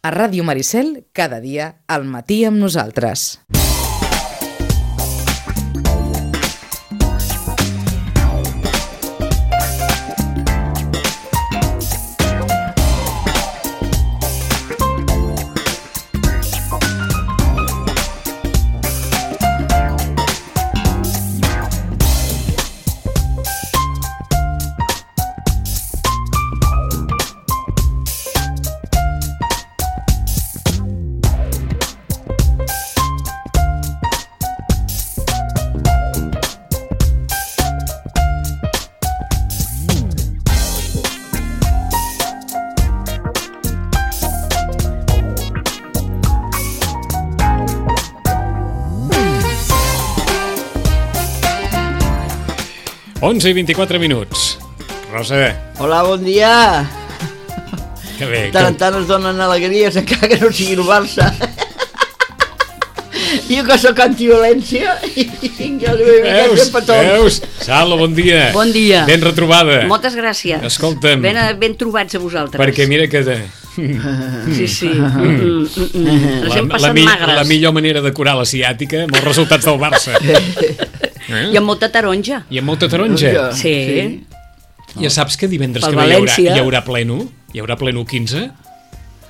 A Ràdio Maricel, cada dia, al matí amb nosaltres. Onze i 24 minuts. Rosa. Hola, bon dia. Que bé. Tant es donen alegries encara que no sigui el Barça. Jo que sóc antiviolència i jo li vull ficar sempre tots. Veus? Sala, bon dia. Bon dia. Ben retrobada. Moltes gràcies. Escolta'm. Ben trobats a vosaltres. Perquè mira que... Sí. Ens hem passat magres. La millor manera de curar la ciàtica amb els resultats del Barça. I amb molta taronja. I amb molta taronja. Sí. Ja saps que divendres Pel que ve València. hi haurà pleno? Hi haurà pleno 15?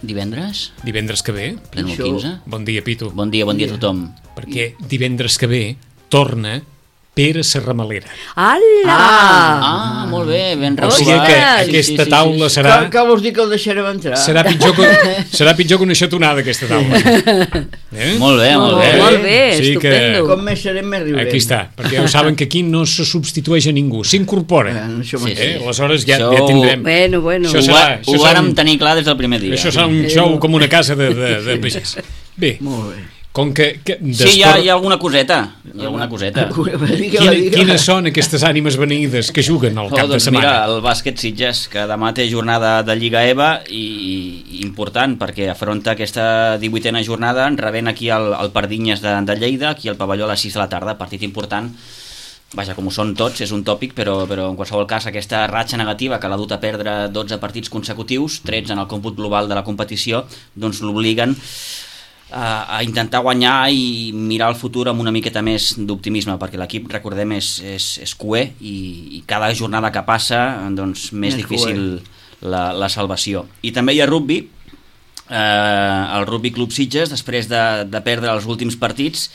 Divendres? Divendres que ve? Pleno 15? Bon dia, Pitu. Bon dia a tothom. Perquè divendres que ve torna Pere Serramalera. Ala! Molt bé, ben O sigui retrobat. que aquesta taula serà... Que vols dir que el deixarem entrar? Serà pitjor que una xatonada, aquesta taula. Molt bé. Molt bé, Sí que- estupendo. Com més serem, més riurem. Aquí està, perquè ja ho saben que aquí no se substitueix a ningú, s'incorpora. Això Sí, mateix. Aleshores ja Això- tindrem. Bueno. Això serà- Ho vàrem tenir clar des del primer dia. Això serà un show com una casa de pagès. Bé, Molt bé. com que Sí, hi ha alguna coseta. Quines són aquestes ànimes beneïdes que juguen al cap de Doncs setmana? mira, el bàsquet Sitges, que demà té jornada de Lliga EVA i important perquè afronta aquesta 18a jornada rebent aquí el Pardinyes de Lleida, aquí al pavelló a les 6 de la tarda, partit important. Vaja, com ho són tots, és un tòpic, però en qualsevol cas aquesta ratxa negativa que l'ha dut a perdre 12 partits consecutius, 13 en el còmput global de la competició, doncs l'obliguen a intentar guanyar i mirar el futur amb una miqueta més d'optimisme, perquè l'equip, recordem, és cuer i cada jornada que passa doncs més difícil la salvació. I també hi ha rugby, el Rugby Club Sitges, després de perdre els últims partits,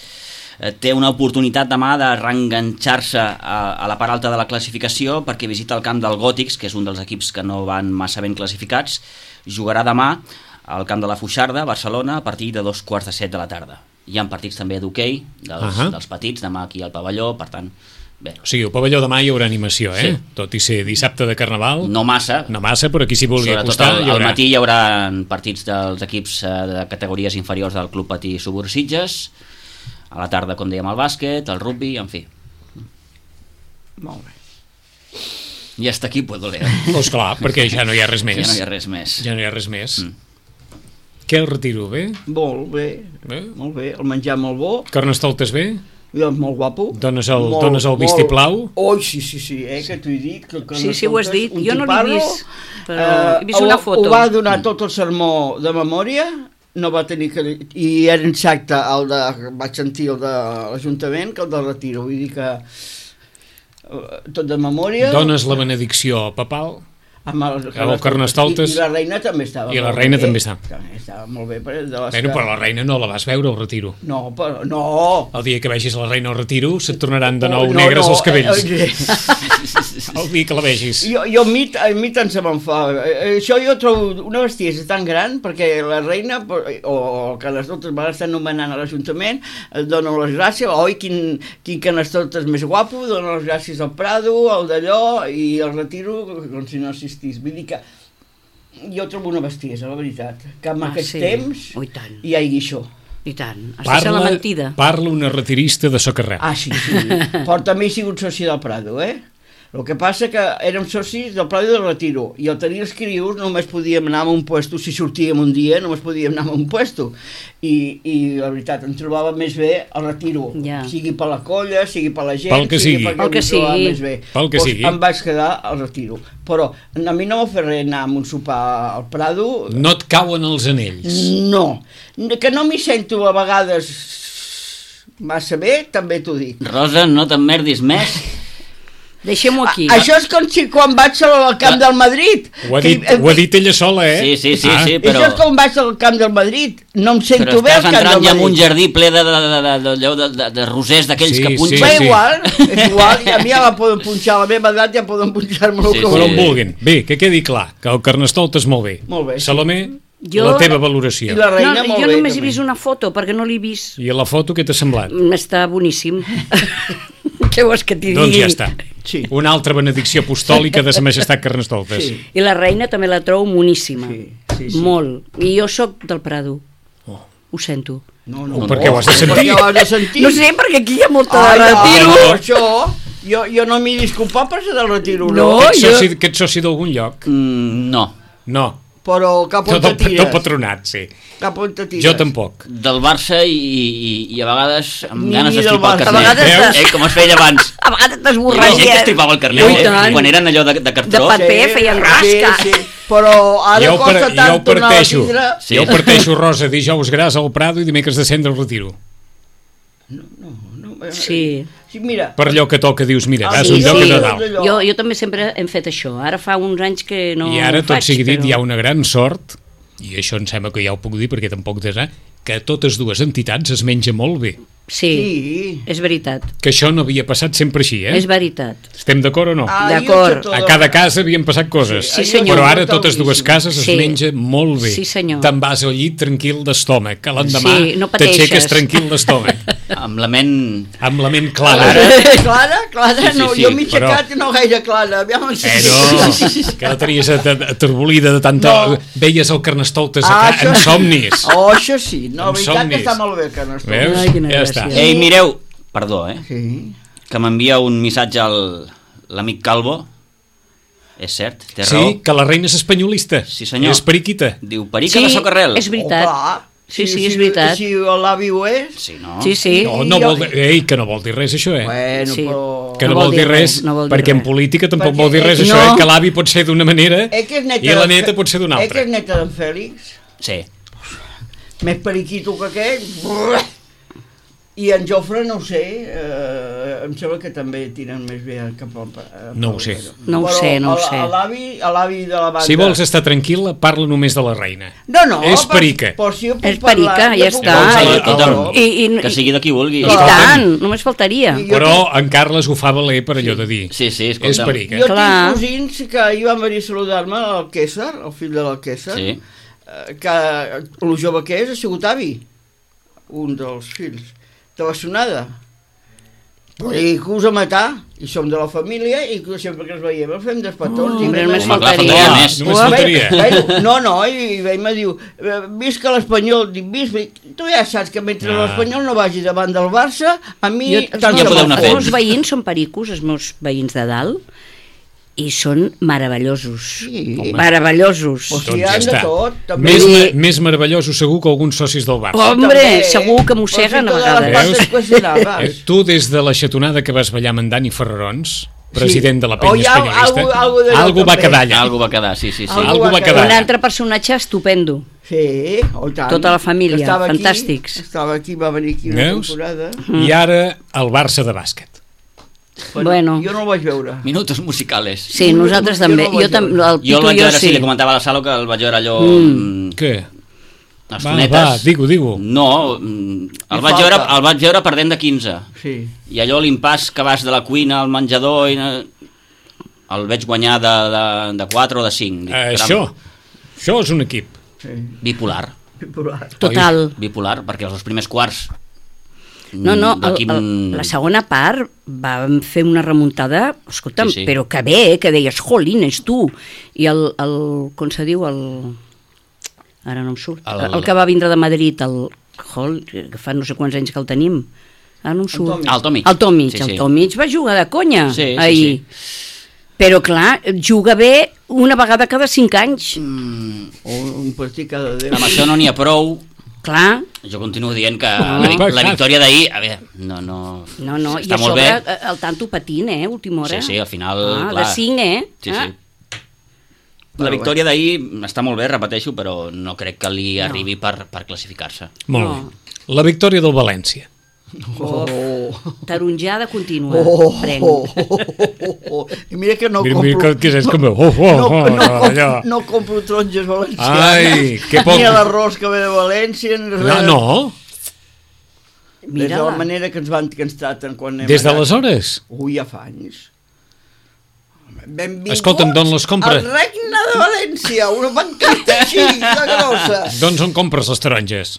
té una oportunitat demà de reenganxar-se a la part alta de la classificació perquè visita el camp del Gòtics, que és un dels equips que no van massa ben classificats. Jugarà demà al camp de la Foixarda, a Barcelona, a partir de 2:45 de la tarda. Hi ha partits també d'hoquei dels petits, demà aquí al pavelló, per tant, bé. O sigui, al pavelló demà hi haurà animació, Sí. Tot i ser dissabte de Carnaval. No massa. No massa, però qui s'hi vulgui Sobretot acostar hi al haurà. matí hi haurà partits dels equips de categories inferiors del Club Patí Subur Sitges, a la tarda, com dèiem, el bàsquet, el rugby, en fi. Molt bé. I hasta aquí puedo leer. Doncs clar, perquè ja no hi ha res més. Ja no hi ha res més. Ja no hi ha res més. Què el retiro, bé? Molt bé. Molt bé. El menjar molt bo. Carnestoltes bé? És molt guapo. Dones el vistiplau? Oh, sí, que t'ho he dit. Sí, ho has dit. Jo no l'he vist, però he vist una foto. Ho va donar tot el sermó de memòria, no va tenir que... I era exacte, vaig sentir el de l'Ajuntament, que el del retiro. Vull dir que tot de memòria... Dones la benedicció papal? Amb el Carnestoltes. I la reina també estava. I la reina també està. Estava molt bé. Però la reina no la vas veure al retiro. No, però no. El dia que vegis la reina al retiro se't tornaran de nou negres els cabells. El dia que la vegis. Jo a mi tant se me'n fa. Això jo trobo una bestiesa tan gran perquè la reina, o el Carnestoltes van estar nomenant a l'Ajuntament, dona les gràcies, oi, quin Carnestoltes més guapo, dona les gràcies al Prado, al d'allò, i el retiro com si no assistís. Vull dir que jo trobo una bestiesa, la veritat, que en aquest temps hi hagi això. I tant, has de ser la mentida. Parla una retirista de Socarrel. Sí. Però també he sigut soci del Prado, El que passa que érem socis del Prado i del Retiro, i al tenir els crius només podíem anar a un puesto, si sortíem un dia només podíem anar a un puesto, i la veritat, em trobava més bé al Retiro, sigui per la colla, sigui per la gent, pel que sigui, pel que sigui. Més bé. Pel que sigui. Em vaig quedar al Retiro, però a mi no m'ha fet res anar a un sopar al Prado. No et cauen els anells? No, que no m'hi sento a vegades massa bé, també t'ho dic. Rosa, no t'emmerdis més. Deixem-ho aquí. Això és com si quan vaig al camp del Madrid. Ho ha dit ella sola, eh? Sí, però... Això és com vaig al camp del Madrid. No em sento bé al camp del Madrid. Però estàs entrant ja en un jardí ple de rosers d'aquells que punxen. És igual, i a mi ja la poden punxar, a la meva edat ja poden punxar-me el que on vulguin. Bé, que quedi clar, que el Carnestoltes molt bé. Molt bé. Salomé, la teva valoració. I la reina molt bé. Jo només he vist una foto, perquè no l'he vist. I a la foto què t'ha semblat? Està boníssim. Què vols que t'hi digui? Doncs ja està. Sí. Una altra benedicció apostòlica de sa majestat Carnestoltes. Sí. I la reina també la trobo moníssima. Sí. Molt. I jo sóc del Prado. Ho sento. No, per què ho has de sentir? No sé, perquè aquí hi ha molta de Retiro. Això, jo no m'hi disculpa per ser del Retiro. No, que ets soci d'algun lloc? No. Però cap on te tires. Del patronat, sí. Cap on te tires. Jo tampoc. Del Barça i a vegades amb ganes d'estripar el carnet. Veus? Com es feia abans. A vegades t'esborraria. La gent que estripava el carnet, quan eren allò de cartró. De paper, feien rasca. Sí. Però ara costa tant tornar a tindre... Jo parteixo, Rosa, dijous gras al Prado i dimecres de cendre al Retiro. No. Sí. Mira. Per allò que toca dius, mira, vas un lloc a Nadal. Jo també sempre hem fet això. Ara fa uns anys que no ho faig. I ara, tot sigui dit, hi ha una gran sort, i això em sembla que ja ho puc dir perquè tampoc t'has que totes dues entitats es menja molt bé. Sí, és veritat. Que això no havia passat sempre així, eh? És veritat. Estem d'acord o no? D'acord. A cada casa havien passat coses. Sí, senyor. Però ara totes dues cases es menja molt bé. Sí, senyor. Te'n vas al llit tranquil d'estómac, que l'endemà no t'aixeques tranquil d'estómac. Amb la ment clara. Clara? No, jo m'he aixecat i no gaire clara. No, que la tenies aterbolida de tanta... Veies el Carnestoltes en somnis. Això sí, no, la veritat que està molt bé el Carnestoltes. Veus? Ja està. Ei, mireu, perdó, que m'envia un missatge l'amic Calvo. És cert, té raó. Sí, que la reina és espanyolista. Sí, senyor. És periquita. Diu perica de Socarrel. És veritat. Sí, és veritat. Si l'avi ho és... Sí, no? Sí. No vol dir... Ei, que no vol dir res, això, Bueno, però... Que no vol dir res, perquè en política tampoc vol dir res, això, que l'avi pot ser d'una manera i la neta pot ser d'una altra. Que és neta d'en Fèlix? Sí. Més periquito que aquell... I en Jofre, no ho sé, em sembla que també tiren més bé cap al... No ho sé. No ho sé. A l'avi de la banda... Si vols estar tranquil·la, parla només de la reina. No. És perica. És perica, ja està. Que sigui de qui vulgui. I tant, només faltaria. Però en Carles ho fa valer per allò de dir. Sí, escolta'm. És perica. Jo tinc cosins que ahir van venir a saludar-me, el Quésar, el fill de l'Alquésar, que el jove que és, ha sigut avi, un dels fills de la Sonada, i que us a matar, i som de la família, i que sempre que ens veiem el fem despatons. Només faltaria. No, i ell me diu, visca l'Espanyol, dic, tu ja saps que mentre l'Espanyol no vagi davant del Barça, a mi... Els meus veïns són pericos, els meus veïns de dalt, i són meravellosos. Meravellosos. Doncs ja està. Més meravellosos segur que alguns socis del Barça. Hombre, segur que mosseguen a vegades. Tu des de la xatonada que vas ballar amb en Dani Ferrarons, president de la penya espanyolista, algú va quedar allà. Algú va quedar, sí. Un altre personatge estupendo. Sí, tant. Tota la família, fantàstics. Estava aquí, va venir aquí una temporada. I ara el Barça de bàsquet. Bueno, jo no el vaig veure. Minutos musicales. Sí, nosaltres també. Jo el vaig veure, sí, li comentava a la Salo que el vaig veure allò... Què? Estonetes. Va, digue-ho. No, el vaig veure perdent de 15. Sí. I allò l'impàs que vas de la cuina al menjador el veig guanyar de 4 o de 5. Això és un equip. Bipolar. Total. Bipolar, perquè els primers quarts... No, la segona part vam fer una remuntada, escolta'm, però que bé, que deies, jolines, tu. I com se diu, ara no em surt, el que va vindre de Madrid, que fa no sé quants anys que el tenim, ara no em surt. El Tomic. El Tomic va jugar de conya ahir. Però clar, juga bé una vegada cada 5 anys. O un partit cada 10. Amb això no n'hi ha prou. Clar. Jo continuo dient que la victòria d'ahir, a veure, no i a sobre el tanto patint, última hora. Sí, al final, clar. De 5, Sí. La victòria d'ahir està molt bé, repeteixo, però no crec que li arribi per classificar-se. Molt bé. La victòria del València. Taronjada contínua. I mira que no compro... No compro taronges valencianes. Ai, que poc... Ni l'arròs que ve de València, ni res. No? Des de la manera que ens traten quan anem... Des d'aleshores? Ui, ja fa anys. Benvinguts. Escolta'm, d'on les compres? Al Regne de València, una bancada així de grossa. Doncs on compres les taronges?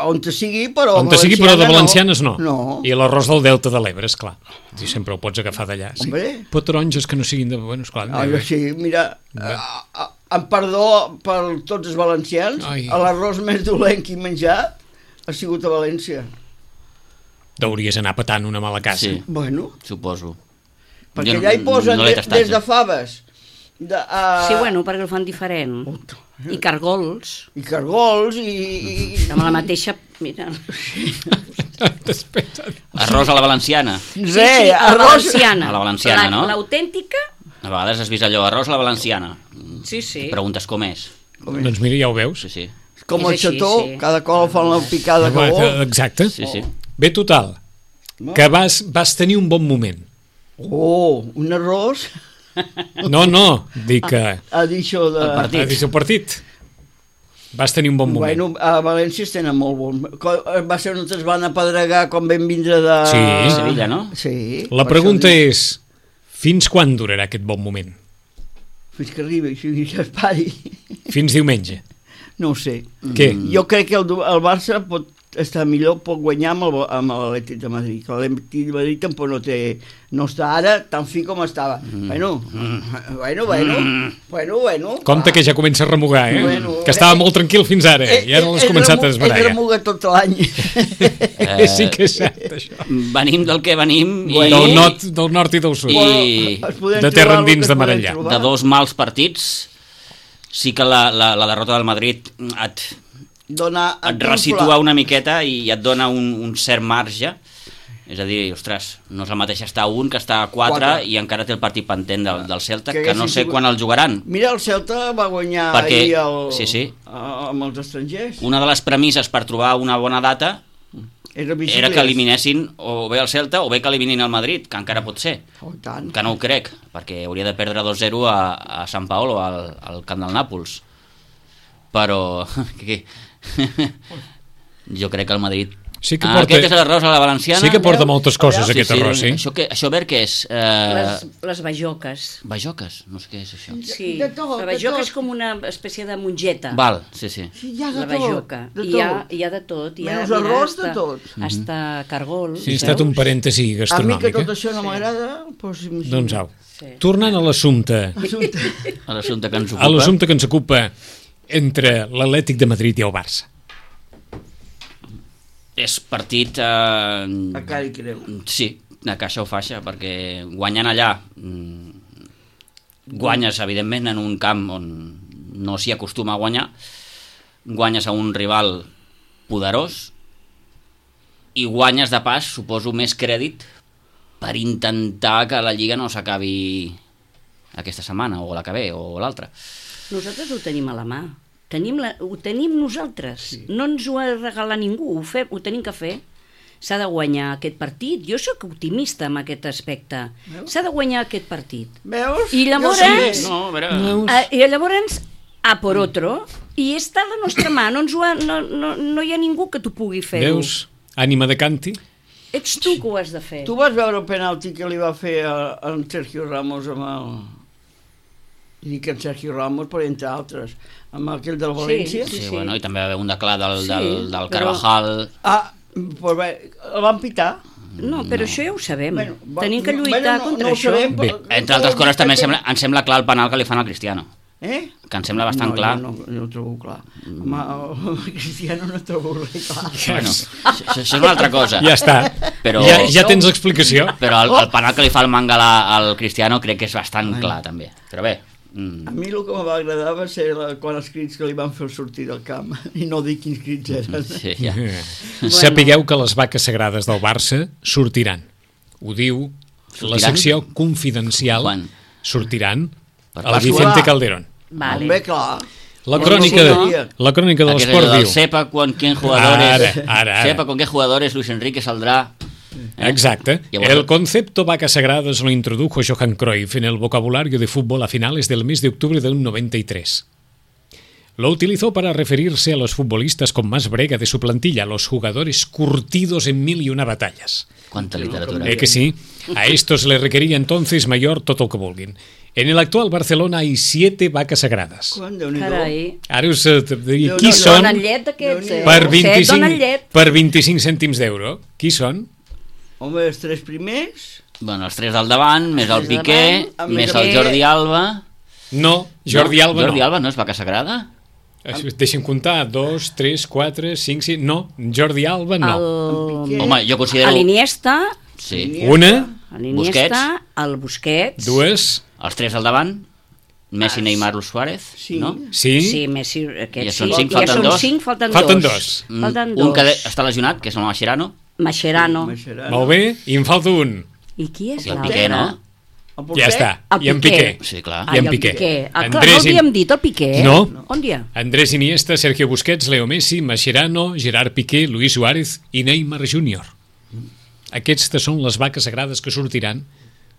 On te sigui, però on te sigui, però de valencianes no. No. I l'arròs del Delta de l'Ebre, esclar. I sempre ho pots agafar d'allà. Sí. Però taronges que no siguin de... Bueno, esclar, sí, mira, en perdó per tots els valencians, l'arròs més dolent que he menjat ha sigut a València. Deuries anar petant una mala casa. Sí, bueno. Suposo. Perquè allà hi posen des de faves. Sí, bueno, perquè el fan diferent. I cargols. I cargols, amb la mateixa... Mira. Arròs a la valenciana. Sí, a la valenciana. A la valenciana, no? L'autèntica. A vegades has vist allò, arròs a la valenciana. Sí. Preguntes com és. Doncs mira, ja ho veus. Sí. Com el xató, cada col fan la picada que vol. Exacte. Sí. Bé, total, que vas tenir un bon moment. Un arròs... No, dic que... Ha dit això de... el partit. Vas tenir un bon moment. Bueno, a València es tenen molt bon... Va ser on es van apedregar quan vam vindre de... Sí. Sevilla, no? Sí. La pregunta és, fins quan durarà aquest bon moment? Fins que arribi, fins que es pari. Fins diumenge? No ho sé. Què? Jo crec que el Barça pot estar millor, pot guanyar amb l'Atlètic de Madrid. L'Atlètic de Madrid tampoc no està ara tan fi com estava. Bueno. Compte que ja comença a remugar, que estava molt tranquil fins ara, i ara l'has començat a desbarallar. Ell remuga tot l'any. Sí que és cert, això. Venim del que venim. Del nord i del sud. De terra endins de Marellà. De dos mals partits, sí que la derrota del Madrid et resitua una miqueta i et dona un cert marge. És a dir, ostres, no és el mateix estar a 1 que estar a 4 i encara té el partit pendent del Celta, que no sé quan el jugaran. Mira, el Celta va guanyar ahir amb els estrangers. Una de les premisses per trobar una bona data era que eliminessin o bé el Celta o bé que eliminin el Madrid, que encara pot ser. Que no ho crec, perquè hauria de perdre 2-0 a Sant Paolo, al camp del Nàpols. Però... jo crec que el Madrid... Aquest és l'arròs a la valenciana. Sí que porta moltes coses, aquest arròs, sí. Això ver què és? Les bajoques. Bajoques? No sé què és això. Sí, la bajoca és com una espècie de mongeta. Val, sí. La bajoca. Hi ha de tot. Menys arròs de tot. Hasta cargol. Sí, ha estat un parèntesi gastronòmic. A mi que tot això no m'agrada... Doncs au. Tornant a l'assumpte. A l'assumpte que ens ocupa. A l'assumpte que ens ocupa entre l'Atlètic de Madrid i el Barça. És partit... A cara i creu. Sí, a caixa o faixa, perquè guanyant allà guanyes, evidentment, en un camp on no s'hi acostuma a guanyar, guanyes a un rival poderós i guanyes de pas, suposo, més crèdit per intentar que la Lliga no s'acabi aquesta setmana, o la que ve, o l'altra. Nosaltres ho tenim a la mà. Ho tenim nosaltres. Sí. No ens ho ha de regalar ningú, ho tenim que fer. S'ha de guanyar aquest partit. Jo sóc optimista en aquest aspecte. Veus? S'ha de guanyar aquest partit. Veus? I llavors... I llavors a por otro, i està a la nostra mà, no hi ha ningú que t'ho pugui fer. Veus? Ànima de canti. Ets tu que ho has de fer. Tu vas veure el penalti que li va fer en Sergio Ramos amb el... I dic en Sergio Ramos, però entre altres, amb aquell del València. Sí. Bueno, i també va haver un de clar del Carvajal. Però bé, el van pitar. No, però això ja ho sabem. Tenim que lluitar contra això. Bé, entre altres coses, també em sembla clar el penal que li fan al Cristiano. Que em sembla bastant clar. No, jo ho trobo clar. Home, el Cristiano no trobo res clar. Bueno, això és una altra cosa. Ja està. Però, ja tens l'explicació. Però el penal que li fa el Mangala al Cristiano crec que és bastant clar, també. Però bé... A mi el que em va agradar va ser quan els crits que li van fer sortir del camp, i no dir quins crits eren. Sí, ja. Sapigueu que les vaques sagrades del Barça sortiran. Ho diu la secció confidencial. Quan? Sortiran Per el Vicente Calderón. Vale. Bé, clar. La crònica de l'esport diu... Sepa con qué jugadores... Ara. Sepa con qué jugadores Luis Enrique saldrá... Exacte. El concepto vacas sagradas lo introdujo Johan Cruyff en el vocabulario de fútbol a finales del mes de octubre del 93. Lo utilizó para referirse a los futbolistas con más brega de su plantilla, los jugadores curtidos en 1001 batallas. Cuánta literatura. Que sí. A estos le requería entonces mayor tot el que vulguin. En el actual Barcelona hay 7 vacas sagradas. Carai. Ara us diria qui són Donen llet aquests, per 25 cèntims d'euro. Qui són? Home, els 3 primers... Bueno, els 3 del davant, més el Piqué, més el Jordi Alba... No, Jordi Alba no. Jordi Alba no és vaca sagrada? Deixa'm comptar, 2, 3, 4, 5, 6... No, Jordi Alba no. Home, jo considero... L'Iniesta... Sí. Una. L'Iniesta, el Busquets... 2. Els 3 del davant, Messi, Neymar, Luis Suárez, no? Sí. Sí, Messi, aquests ja són 5, falten 2. Falten 2. Un que està lesionat, que és el Mascherano. Mascherano. Molt bé, i em falta un. I qui és I el Piqué, no? Ja està, i en Piqué. Sí, clar. I en Piqué. Clar, no havíem dit el Piqué. No. On dia? Andrés Iniesta, Sergio Busquets, Leo Messi, Mascherano, Gerard Piqué, Luis Suárez i Neymar Júnior. Aquestes són les vaques sagrades que sortiran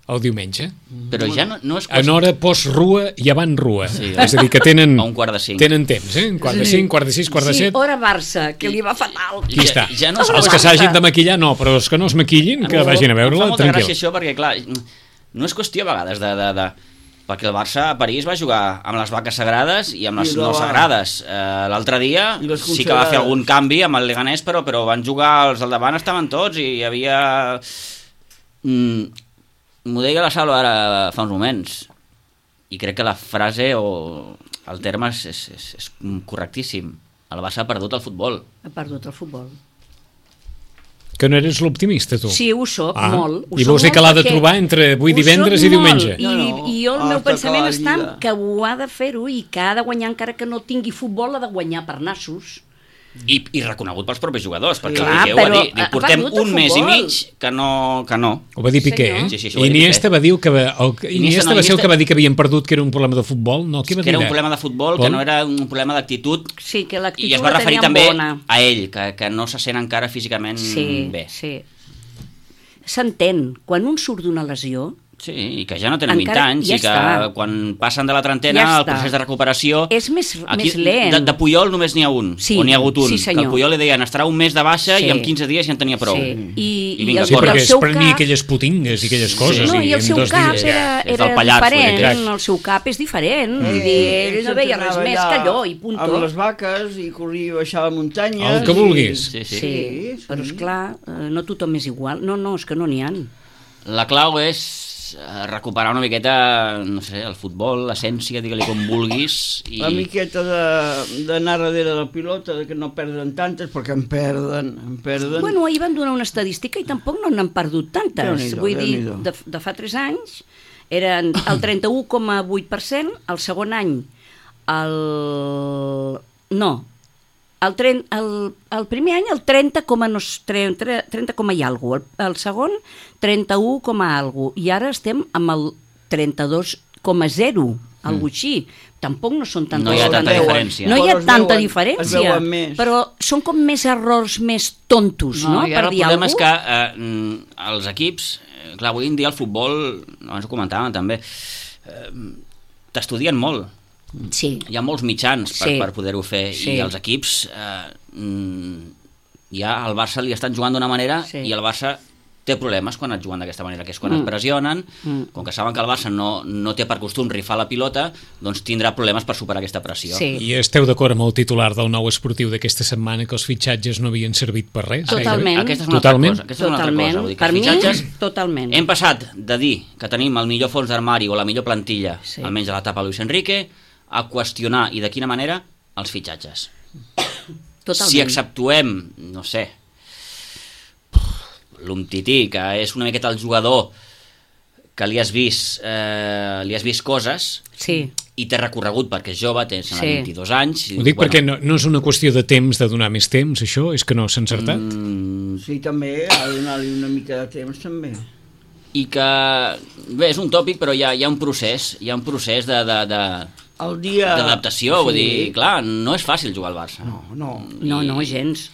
el diumenge. Però ja no és... En hora post-rua i avant rua. Sí, és a dir, que tenen... A un quart de 5. Tenen temps, un quart de 5, quart de 6, quart de 7... Sí, hora Barça, que li va fatal. Qui està? Ja no els que s'hagin de maquillar, no, però els que no es maquillin, que vagin a veure-la, tranquil. Em fa molta tranquil. gràcia això, perquè, clar, no és qüestió a vegades de perquè el Barça a París va jugar amb les vaques sagrades i amb les no sagrades. L'altre dia sí que va fer algun canvi amb el Leganés, però van jugar, els del davant estaven tots i hi havia... M'ho deia la Salo ara fa uns moments i crec que la frase o el terme és correctíssim. El Barça ha perdut el futbol. Ha perdut el futbol. Que no eres l'optimista, tu? Sí, ho soc, molt. I vols dir que l'ha de trobar entre avui divendres i diumenge? I jo el meu pensament està que ho ha de fer-ho i que ha de guanyar, encara que no tingui futbol, ha de guanyar per nassos. I reconegut pels propis jugadors, perquè el Piqué ho va dir. Portem un mes i mig que no. Ho va dir Piqué, eh? Sí, Iniesta va dir que... Iniesta va ser el que va dir que havien perdut, que era un problema de futbol? No, què va dir? Que era un problema de futbol, que no era un problema d'actitud. Sí, que l'actitud i es va referir també a ell, que no se sent encara físicament bé. Sí. S'entén, quan un surt d'una lesió... Sí, i que ja no tenen 20 anys i que quan passen de la trentena el procés de recuperació... És més lent. De Puyol només n'hi ha un, o n'hi ha hagut un. Que al Puyol li deien estarà un mes de baixa i en 15 dies ja en tenia prou. Sí, perquè es prenia aquelles putingues i aquelles coses. No, i el seu cap era diferent, el seu cap és diferent. Ell no veia res més que allò i punt. Amb les vaques i corria i baixar la muntanya. El que vulguis. Sí, però esclar, no tothom és igual. No, és que no n'hi ha. La clau és recuperar una miqueta, no sé, el futbol, l'essència, digue-li com vulguis. La miqueta d'anar darrere del pilota, que no perden tantes, perquè en perden. Bueno, ahir van donar una estadística i tampoc no n'han perdut tantes. Vull dir, de fa 3 anys eren el 31,8%, el segon any el primer any el 30 i alguna cosa, el segon 31 i alguna cosa, i ara estem amb el 32,0, alguna cosa així. Tampoc no són tantes. No hi ha tanta diferència. No hi ha tanta diferència, però són com més errors més tontos, no? I ara el problema és que els equips, clar, avui en dia el futbol, abans ho comentàvem també, t'estudien molt. Sí. Hi ha molts mitjans per poder-ho fer i els equips ja al Barça li estan jugant d'una manera i el Barça té problemes quan et juguen d'aquesta manera, que és quan et pressionen, com que saben que el Barça no té per costum rifar la pilota, doncs tindrà problemes per superar aquesta pressió. I esteu d'acord amb el titular del Nou Esportiu d'aquesta setmana, que els fitxatges no havien servit per res? Totalment. Aquesta és una altra cosa. Vull dir que per els fitxatges, totalment. Hem passat de dir que tenim el millor fons d'armari o la millor plantilla, almenys a l'etapa Luis Enrique, a qüestionar, i de quina manera, els fitxatges. Totalment. Si exceptuem, no sé, l'Umtiti, que és una miqueta el jugador que li has vist coses, sí, i té recorregut perquè és jove, té 22 anys. Ho dic perquè no és una qüestió de temps, de donar més temps, això? És que no s'ha encertat? Sí, també, ha de donar-li una mica de temps, també. I que, bé, és un tòpic, però hi ha un procés, d'adaptació, vull dir, clar, no és fàcil jugar al Barça. No, gens.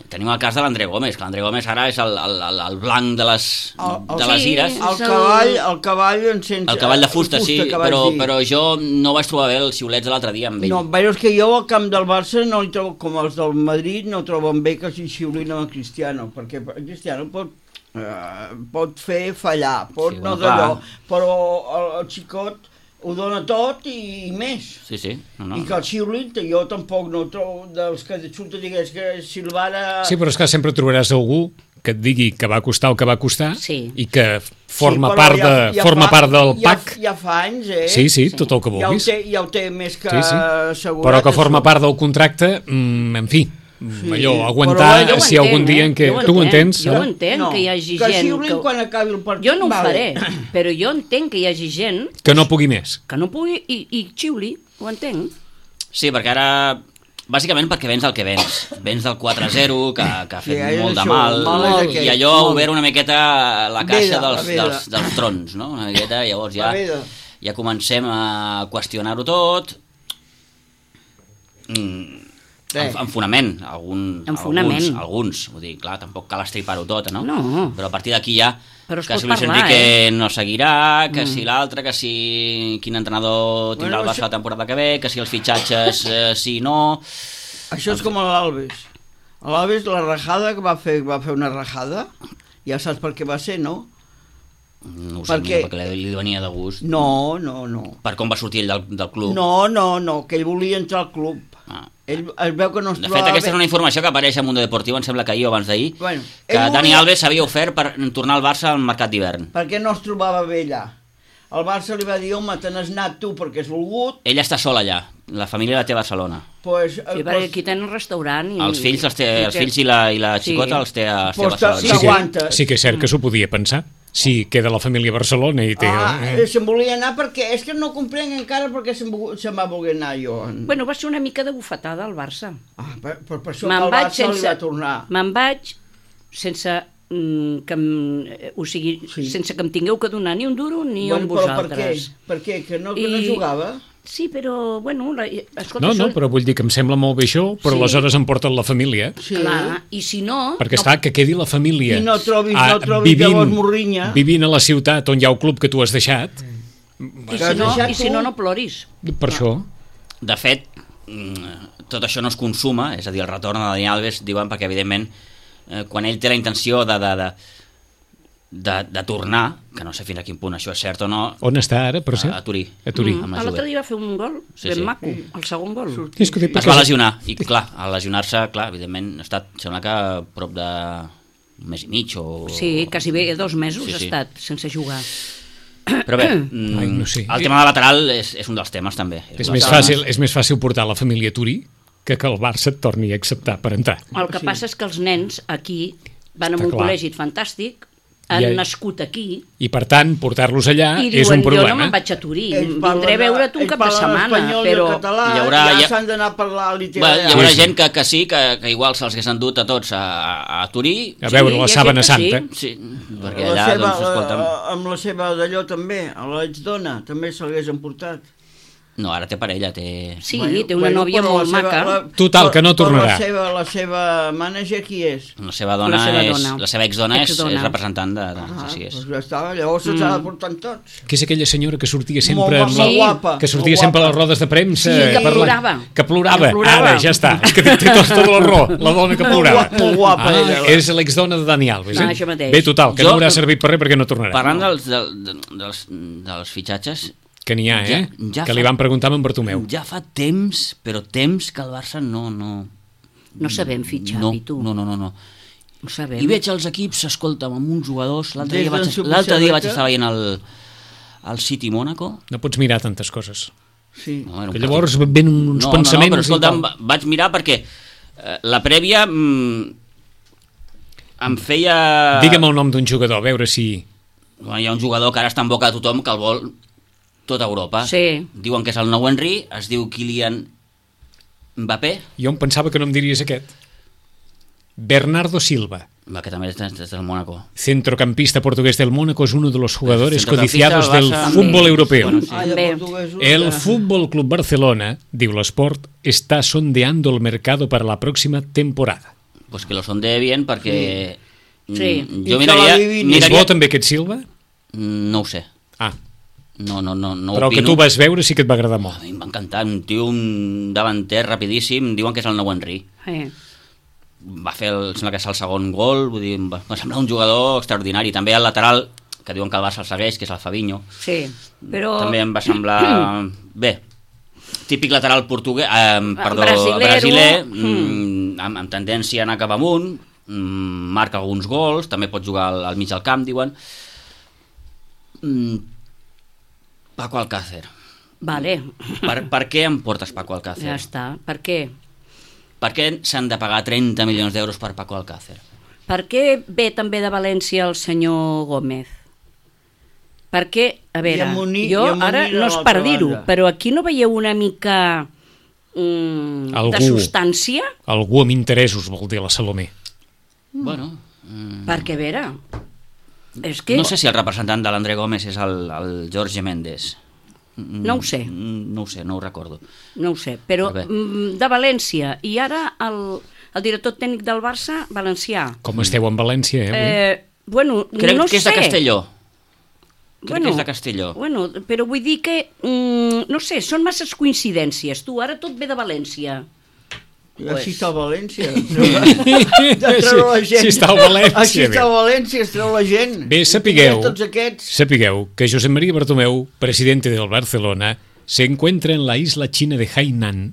Tenim el cas de l'André Gómez, que l'André Gómez ara és el blanc de les ires. El cavall el cavall de fusta, sí, però jo no vaig trobar bé els xiulets de l'altre dia amb ell. No, però és que jo al camp del Barça no hi trobo, com els del Madrid, no troben bé que s'hi xiulin amb el Cristiano, perquè el Cristiano pot fer fallar, pot no d'allò, però el xicot ho dona tot i més. Sí. I que el xiulin, jo tampoc no trobo dels que surten, digués que Silvara... Sí, però és que sempre trobaràs algú que et digui que va costar el que va costar i que forma part del PAC. Ja fa anys, Sí, tot el que vulguis. Ja ho té més que assegurat. Però que forma part del contracte, en fi, allò, aguantar si algun dia en què... Tu ho entens? Jo ho entenc, que hi hagi gent... Que xiulin quan acabi el partit. Jo no ho faré, però jo entenc que hi hagi gent... Que no pugui més. Que no pugui i xiuli, ho entenc. Sí, perquè ara... Bàsicament perquè vens el que vens. Vens del 4-0, que ha fet molt de mal, i allò ha obert una miqueta la caixa dels trons, no? Una miqueta, llavors ja comencem a qüestionar-ho tot... En fonament, alguns, vull dir, clar, tampoc cal estripar-ho tot, no? Però a partir d'aquí ja, que si Luis Enrique no seguirà, que si l'altre, que si quin entrenador tindrà el Barça la temporada que ve, que si els fitxatges sí, no... Això és com l'Alves. L'Alves, la rajada que va fer una rajada, ja saps per què va ser, no? No ho sé, perquè li venia de gust. No. Per com va sortir ell del club? No, que ell volia entrar al club. Ell es veu que no es trobava... De fet, aquesta és una informació que apareix a Mundo Deportivo, em sembla que ahir o abans d'ahir, que Dani Alves s'havia ofert per tornar al Barça al mercat d'hivern. Perquè no es trobava bé allà. El Barça li va dir, home, te n'has anat tu perquè has volgut. Ella està sola allà, la família la té a Barcelona. Sí, perquè aquí tenen un restaurant. Els fills i la xicota els té a Barcelona. Sí que és cert que s'ho podia pensar. Sí, queda la família a Barcelona i té... Se'n volia anar perquè... És que no comprenc encara perquè se'n va voler anar jo. Bueno, va ser una mica de bufetada al Barça. Per això el Barça li va tornar. Me'n vaig sense sense que em tingueu que donar ni un duro ni un vosaltres. Per què? Que no jugava? Sí, però, bueno... Escolta, no, però vull dir que em sembla molt bé això, però aleshores em porten la família. Sí. Clar, i si no... Perquè que quedi la família... I no trobis llavors morrinya. Vivint a la ciutat on hi ha el club que tu has deixat... I si no ploris. Per això... De fet, tot això no es consuma, és a dir, el retorn de Dani Alves, diuen, perquè evidentment, quan ell té la intenció de tornar, que no sé fins a quin punt això és cert o no... On està ara, per cert? A Turí. L'altre dia va fer un gol ben maco, el segon gol. Es va lesionar, i clar, al lesionar-se, evidentment, ha estat, sembla que prop de un mes i mig o... Sí, quasi bé 2 mesos ha estat sense jugar. Però bé, el tema de lateral és un dels temes també. És més fàcil portar la família a Turí que el Barça et torni a acceptar per entrar. El que passa és que els nens aquí van a un col·legi fantàstic, han nascut aquí... I per tant, portar-los allà és un problema. Jo no me'n vaig a Turí, vindré a veure't un cap de setmana, però... Ja s'han d'anar a parlar literalment. Hi haurà gent que sí, que igual se'ls hagués endut a tots a Turí. A veure la Sàbana Santa. Sí, perquè allà, doncs, escolta'm... Amb la seva d'allò també, a l'exdona, també se l'hagués emportat. No, ara té parella, té... Sí, té una nòvia molt maca. Total, que no tornarà. La seva mànager qui és? La seva dona és... La seva exdona és representant de... Doncs ja està, llavors se'ls ha de portar tots. Que és aquella senyora que sortia sempre... Molt guapa. Que sortia sempre a les rodes de premsa... Sí, que plorava. Que plorava. Ara, ja està. És que té tota la raó, la dona que plorava. Molt guapa. És l'exdona de Dani Alves. Això mateix. Bé, total, que no haurà servit per res perquè no tornarà. Parlant dels fitxatges... Que n'hi ha, que li van preguntar amb en Bartomeu. Ja fa temps, però temps que el Barça no... No sabem fitxar, i tu. No. Ho sabem. I veig els equips, escolta'm, amb uns jugadors... L'altre dia vaig estar veient el City Mónaco. No pots mirar tantes coses. Sí. No, que llavors ven uns pensaments... No, però escolta'm, vaig mirar perquè la prèvia em feia... Digue'm el nom d'un jugador, a veure si... Hi ha un jugador que ara està en boca de tothom que el vol tota Europa. Sí. Diuen que és el nou Henry, es diu Kylian Mbappé. Jo em pensava que no em diries aquest. Bernardo Silva. Que també és del Mónaco. Centrocampista portugués del Mónaco, es uno de los jugadores codiciados del fútbol europeo. Bueno, sí. El Fútbol Club Barcelona, diu l'Esport, está sondeando el mercado para la próxima temporada. Pues que lo sondee bien perquè... Sí. Jo miraria... És bo també aquest Silva? No ho sé. Ah. No però el que tu vas veure sí que et va agradar molt. A mi em va encantar, un tio, un davanter rapidíssim, diuen que és el nou Henry. Va fer, sembla que és el segon gol, vull dir, va semblar un jugador extraordinari. També el lateral, que diuen que el Barça el segueix, que és el Fabinho. Sí, però... També em va semblar... Bé, típic lateral portuguès, brasiler, amb tendència a anar cap amunt, marca alguns gols, també pot jugar al mig del camp, diuen. Paco Alcácer. Vale. Per què em portes Paco Alcácer? Ja està. Per què? Per què s'han de pagar 30 milions d'euros per Paco Alcácer? Per què ve també de València el senyor Gómez? Perquè, a veure, jo ara no és per dir-ho, però aquí no veieu una mica de substància? Algú amb interessos, vol dir la Salomé. Bueno... Perquè, a veure... És que... No sé si el representant de l'André Gómez és el Jorge Méndez. No ho sé. No ho sé, no ho recordo. No ho sé, però de València, i ara el director tècnic del Barça, valencià. Com esteu en València, Bueno, crec no que és sé. de Castelló. Crec que és de Castelló. Bueno, però vull dir que, no sé, són masses coincidències. Tu, ara tot ve de València. Així està a València. Així està a València. Així està a València, es treu la gent. Bé, sapigueu que José María Bartomeu, presidente del Barcelona, se encuentra en la isla xina de Hainan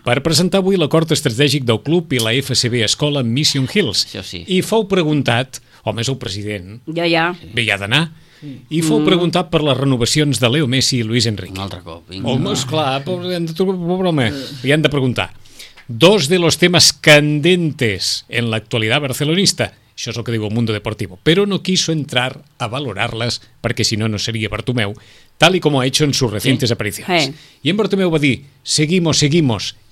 per presentar avui l'acord estratègic del club i la FCB Escola Mission Hills. Sí. I fou preguntat, home, és el president, bé, ja ha d'anar, i fou preguntat per les renovacions de Leo Messi i Luis Enrique. Un altre cop. Home, esclar, li han de preguntar. Dos de los temas candentes en la actualidad barcelonista, això és el que diu el Mundo Deportivo, pero no quiso entrar a valorarlas porque si no, no sería Bartomeu, tal y como ha hecho en sus recientes apariciones. Y en Bartomeu va a decir, seguimos,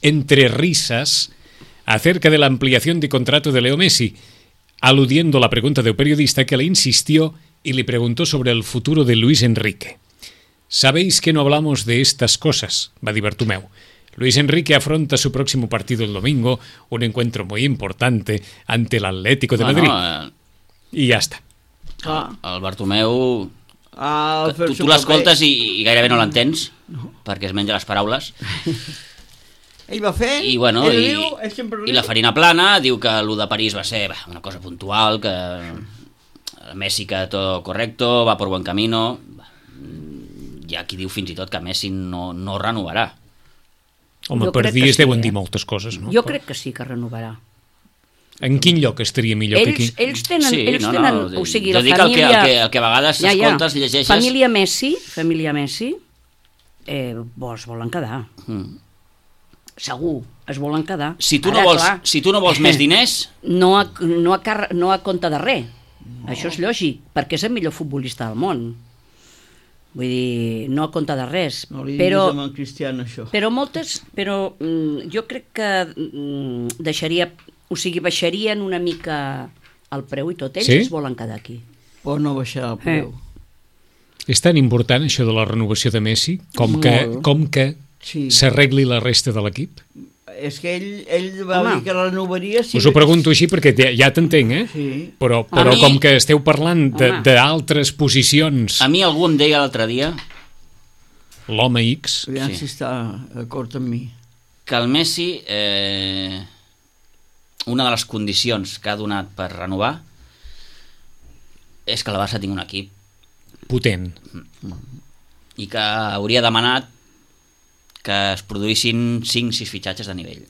entre risas, acerca de la ampliación de contrato de Leo Messi, aludiendo a la pregunta de un periodista que le insistió y le preguntó sobre el futuro de Luis Enrique. Sabéis que no hablamos de estas cosas, va a decir Bartomeu. Luis Enrique afronta su próximo partido el domingo, un encuentro muy importante ante el Atlético de Madrid. I ja està. El Bartomeu... Tu l'escoltes i gairebé no l'entens, perquè es menja les paraules. Ell va fer... I la farina plana diu que el de París va ser una cosa puntual, que Messi que tot correcto, va por buen camino... Hi ha qui diu fins i tot que Messi no renovarà. Home, per dir es deuen dir moltes coses, no? Jo crec que sí que renovarà. En quin lloc estaria millor que aquí? Ells tenen, o sigui, la família... Jo dic el que a vegades escoltes, llegeixes... Família Messi, es volen quedar. Segur, es volen quedar. Si tu no vols més diners... No a compte de res. Això és lògic, perquè és el millor futbolista del món. Vull dir, no a compte de res. No li diguis amb el Cristiano, això. Però jo crec que baixarien una mica el preu i tot. Ells es volen quedar aquí. Però no baixarà el preu. És tan important això de la renovació de Messi com que s'arregli la resta de l'equip? És que ell va dir que renovaria... Us ho pregunto així perquè ja t'entenc, Sí. Però com que esteu parlant d'altres posicions... A mi algú em deia l'altre dia... L'home X... Aviam si està d'acord amb mi. Que el Messi... una de les condicions que ha donat per renovar és que la Barça tingui un equip potent. I que hauria demanat que es produïssin 5-6 fitxatges de nivell.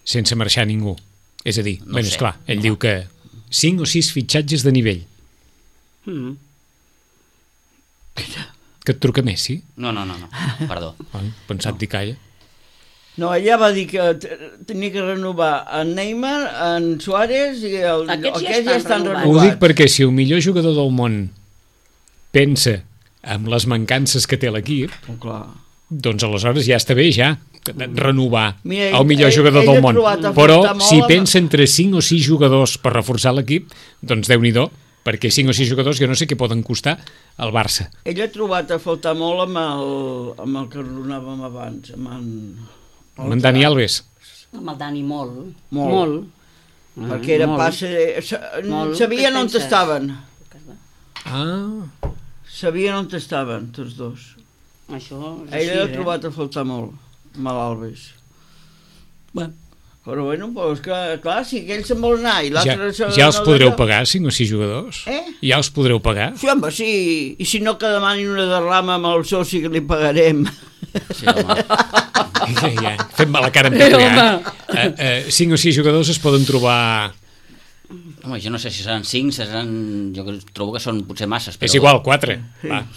Sense marxar ningú. És a dir, esclar, ell diu que 5 o 6 fitxatges de nivell. Que et truca Messi? No, perdó. Pensat dir calla. No, ella va dir que tenia que renovar en Neymar, en Suárez i aquests ja estan renovats. Ho dic perquè si el millor jugador del món pensa en les mancances que té l'equip, doncs aleshores ja està bé renovar el millor jugador del món. Però si pensa entre 5 o 6 jugadors per reforçar l'equip, doncs Déu-n'hi-do, perquè 5 o 6 jugadors jo no sé què poden costar al Barça. Ell ha trobat a faltar molt amb el que ronàvem abans, amb en Dani Alves. Amb el Dani molt. Perquè era passe... Sabien on estaven. Sabien on estaven, tots dos. Ell ha trobat a faltar molt, amb l'Alves. Però bueno, clar, si aquell se'n vol anar i l'altre... Ja els podreu pagar, 5 o 6 jugadors? Ja els podreu pagar? Sí, home, sí. I si no que demanin una derrama amb el soci que li pagarem. Sí, home. Fem-me la cara en peculiar. 5 o 6 jugadors es poden trobar... Home, jo no sé si seran 5, jo trobo que són potser masses. Però... És igual, 4.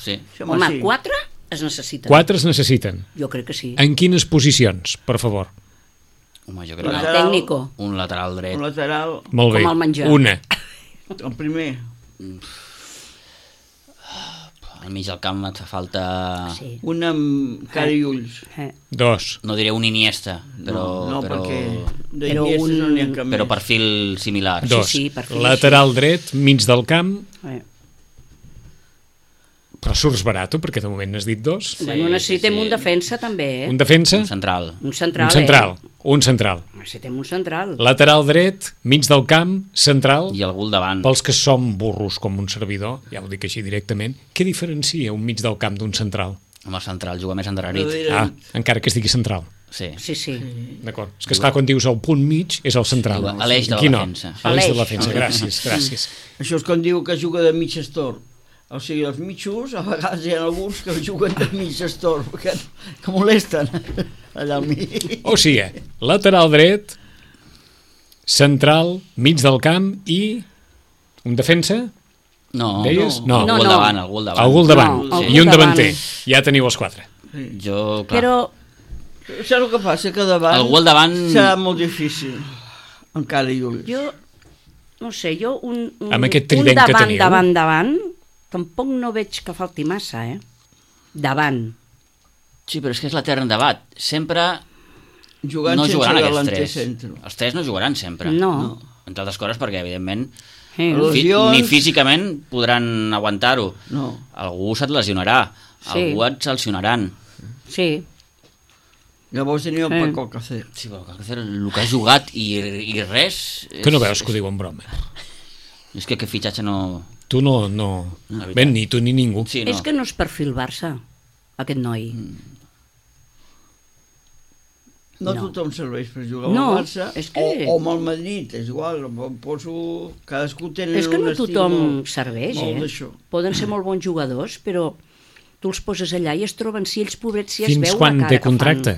Sí. Home, 4 es necessiten. 4 es necessiten. Jo crec que sí. En quines posicions, per favor? Home, jo crec que... Tècnico. Un lateral dret. Un lateral... Molt bé. Com el menjar. Una. El primer. Al mig del camp et fa falta... Sí. Un amb cara i ulls. 2. No diré un Iniesta, però... No, perquè d'Iniesta no n'hi ha cap més. Però perfil similar. 2. Sí, perfil. Lateral dret, mig del camp... Però surts barato, perquè de moment n'has dit 2. Bueno, necessitem un defensa també, Un defensa? Un central. Un central. Necessitem un central. Lateral dret, mig del camp, central. I algú al davant. Pels que som burros com un servidor, ja ho dic així directament, què diferencia un mig del camp d'un central? Home, central juga més endarrerit. Encara que es digui central. Sí. D'acord. És que esclar, quan dius el punt mig, és el central. A l'eix de la defensa. A l'eix de la defensa, gràcies. Això és quan diu que juga de mig estorb. O sigui, els mitjos, a vegades hi ha alguns que juguen de mig estorb, que molesten allà al mig. O sigui, lateral dret, central, mig del camp i un defensa? No, algú al davant. Algú al davant, i un davanter. Ja teniu els 4. Jo, clar. Però... Saps el que passa? Que davant... Algú al davant... Serà molt difícil, encara i ulls. Jo, no sé, un davant, tampoc no veig que falti massa, Davant. Sí, però és que és l'etern debat. Sempre jugant no jugaran aquests 3. Centre. Els 3 no jugaran sempre. No. Entre altres coses perquè, evidentment, ni físicament podran aguantar-ho. No. Algú se't lesionarà. Algú et sancionaran. Sí. Llavors teniu el Paco Alcácer. Sí, però Alcácer, el que ha jugat i res... Que no veus que ho diu en broma? És que aquest fitxatge no... Tu no. Ben, ni tu ni ningú. Sí, no. És que no és perfil Barça, aquest noi. No tothom serveix per jugar al Barça o amb el Madrid, és igual. Cadascú tenen un estil. És que no tothom serveix, Poden ser molt bons jugadors, però tu els poses allà i es troben, si ells pobrets si es veu la cara que fan. Fins quan té contracte?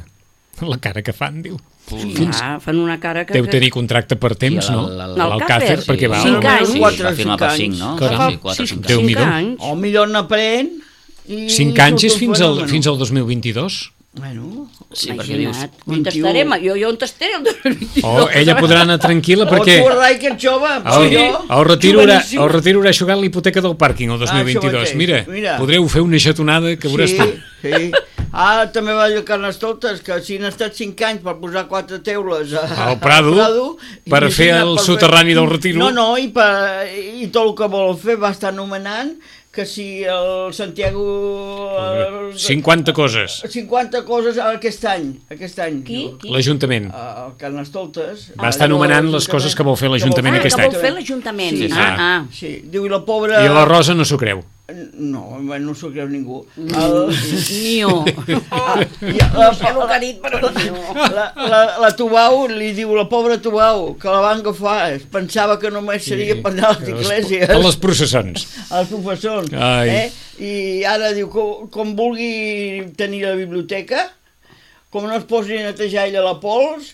La cara que fan, diu. Fan una cara que... Deu tenir contracte per temps, no? L'Alcácer, perquè va... 5 anys. Va firmar per 5, no? 5 anys. O millor n'aprèn... 5 anys és fins al 2022? Bueno, sí, perquè dius... On t'estaré? Jo on t'estaré el 2022? Ella podrà anar tranquil·la perquè... O tu, Rai, que ets jove, el retiro haurà jugat l'hipoteca del pàrquing el 2022. Mira, podreu fer una xatonada que veuràs tu. Sí. També va dir Carnestoltes que si han estat 5 anys per posar 4 teules al Prado per fer el soterrani del retiro. No, i tot el que vol fer va estar anomenant que si el Santiago... 50 coses. 50 coses aquest any. Qui? L'Ajuntament. El Carnestoltes. Va estar anomenant les coses que vol fer l'Ajuntament aquest any. Que vol fer l'Ajuntament. Sí. Diu, i la pobra... I la Rosa no s'ho creu. No, no s'ho creu ningú. Ni jo. La Tubau li diu, la pobra Tubau, que la van agafar, pensava que només seria per anar a les iglesias. A les processons. Als professors. I ara diu, com vulgui tenir la biblioteca, com no es posi a netejar ella la pols,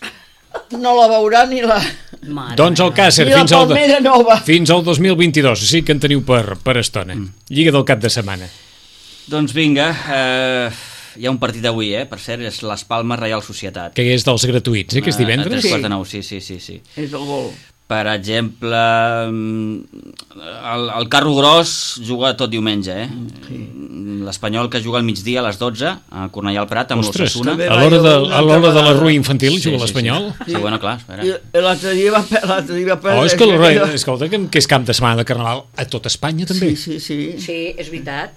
no la veurà ni la... Doncs Alcácer, fins al 2022, sí que en teniu per estona. Lliga del cap de setmana. Doncs vinga, hi ha un partit avui, per cert, és l'Es Palmes Reial Societat. Que és dels gratuïts, que és divendres? A 3:45, sí. És el gol. Per exemple, el Carro Gros juga tot diumenge, Sí. L'Espanyol que juga al migdia a les 12 a Cornellà al Prat amb l'Ossassuna. A l'hora de la Rua Infantil juga l'Espanyol? Sí, bueno, clar, espera. I l'altre dia va perdre... Escolta, que és cap de setmana de Carnaval a tot Espanya, també. Sí. Sí, és veritat.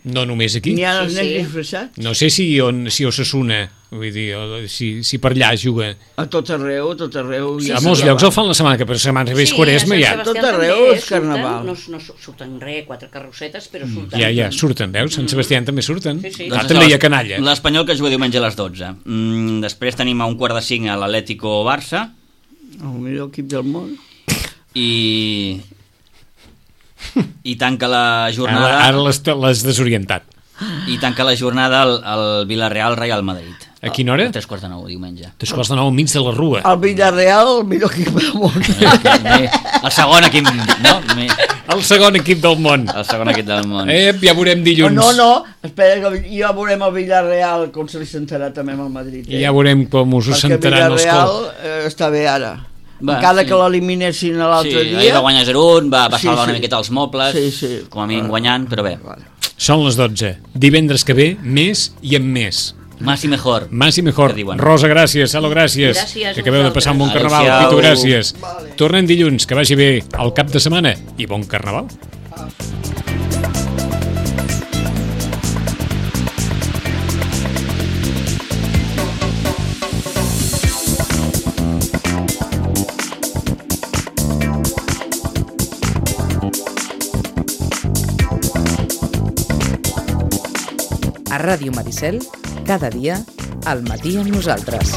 No només aquí. N'hi ha els nens disfressats. No sé si Ossassuna, vull dir, si per allà juga. A tot arreu. A molts llocs el fan la setmana que per setmana que ve és Quaresma, ja. A tot arreu és Carnaval. No surten res, 4 carrossetes, però surten. Ja, surten, veus? Sant Sebastià també surten. Sí. També hi ha canalla. L'Espanyol que juga diumenge a les 12. Després tenim a 4:45 a l'Atlético Barça. El millor equip del món. I tanca la jornada... Ara l'has desorientat. I tanca la jornada el Villarreal Real Madrid. A quina hora? A 3:45, diumenge. 3:45 al mig de la Rua. El Villarreal, el millor equip del món. El segon equip, no? El segon equip del món. El segon equip del món. Ja veurem dilluns. No, espera, que ja veurem el Villarreal com se li sentarà també amb el Madrid. Ja veurem com us ho sentaran els Villarreal està bé ara. Encara que l'eliminessin l'altre dia. Sí, ahir va guanyar 0-1, va salvar una miqueta els mobles, com a mínim guanyant, però bé. Són les 12. Divendres que ve, més i amb més. Más y mejor. Más y mejor. Rosa, gràcies. Salo, gràcies. Que acabeu de passar un bon carnaval. Pitu, gràcies. Tornem dilluns, que vagi bé el cap de setmana i bon carnaval. A Ràdio Maricel, cada dia, al matí amb nosaltres.